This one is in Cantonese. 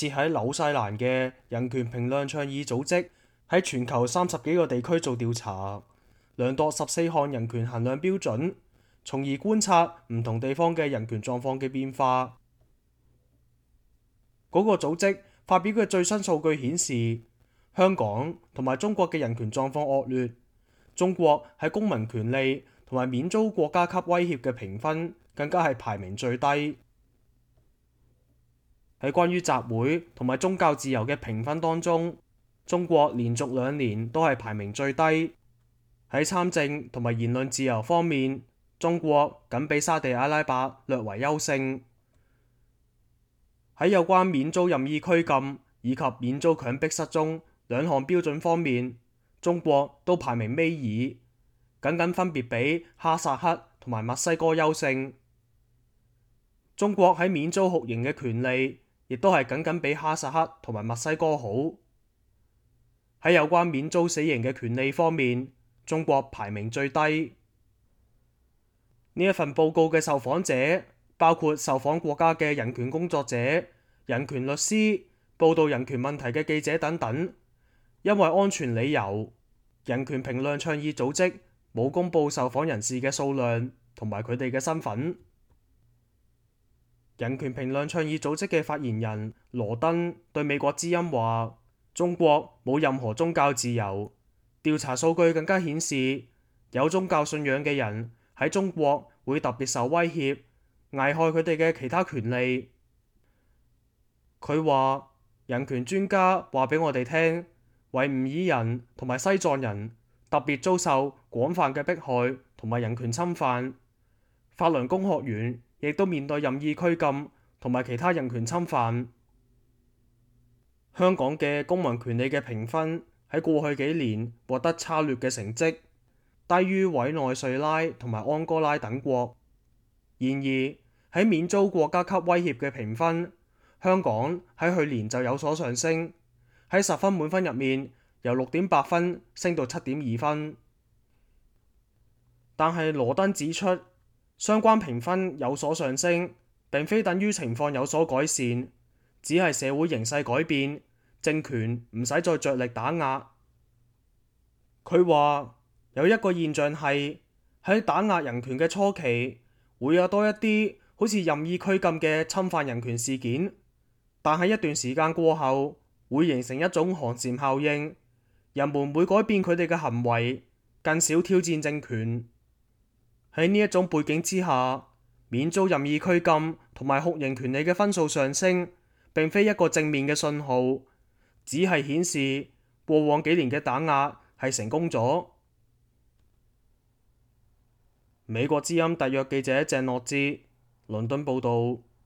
設喺紐西蘭嘅人權評論倡議組織喺全球30幾個地區做調查，量度14項人權衡量標準，從而觀察唔同地方嘅人權狀況嘅變化。嗰個組織發表嘅最新數據顯示，香港同埋中國嘅人權狀況惡劣。中國喺公民權利同埋免遭國家級威脅嘅評分更加係排名最低。喺關於集會同埋宗教自由嘅評分當中，中國連續2年都係排名最低。喺參政同埋言論自由方面，中國僅比沙地阿拉伯略為優勝。喺有關免遭任意拘禁以及免遭強迫失蹤2項標準方面，中國都排名尾二，僅分別比哈薩克同埋墨西哥優勝。中國喺免遭酷刑嘅權利，亦都係僅比哈薩克同埋墨西哥好。喺有關免遭死刑嘅權利方面，中國排名最低。呢一份報告嘅受訪者包括受訪國家嘅人權工作者、人權律師、報導人權問題嘅記者等等。因為安全理由，人權評論倡議組織冇公佈受訪人士嘅數量同埋佢哋嘅身份。人權評論倡議組織嘅發言人羅登對美國之音話：中國冇任何宗教自由，調查數據更加顯示，有宗教信仰嘅人喺中國會特別受威脅，危害佢哋嘅其他權利。佢話：人權專家話俾我哋聽，維吾爾人同埋西藏人特別遭受廣泛嘅迫害同埋人權侵犯，法輪功學員亦都面對任意拘禁同埋其他人權侵犯。香港嘅公民權利嘅評分喺過去幾年獲得差劣嘅成績，低於委內瑞拉同埋安哥拉等國。然而喺免遭國家級威脅嘅評分，香港喺去年就有所上升。喺10分滿分入面，由6.8分升到7.2分。但係羅登指出，相關評分有所上升，並非等於情況有所改善，只係社會形勢改變，政權唔使再着力打壓。佢話有一個現象係喺打壓人權嘅初期，會有多一啲好似任意拘禁嘅侵犯人權事件，但係一段時間過後，會形成一種寒蟬效應，人們會改變佢哋嘅行為，更少挑戰政權。喺呢一種背景之下，免遭任意拘禁同埋酷刑權利嘅分數上升，並非一個正面嘅信號，只係顯示過往幾年嘅打壓係成功咗。美國之音特約記者鄭諾之倫敦報導。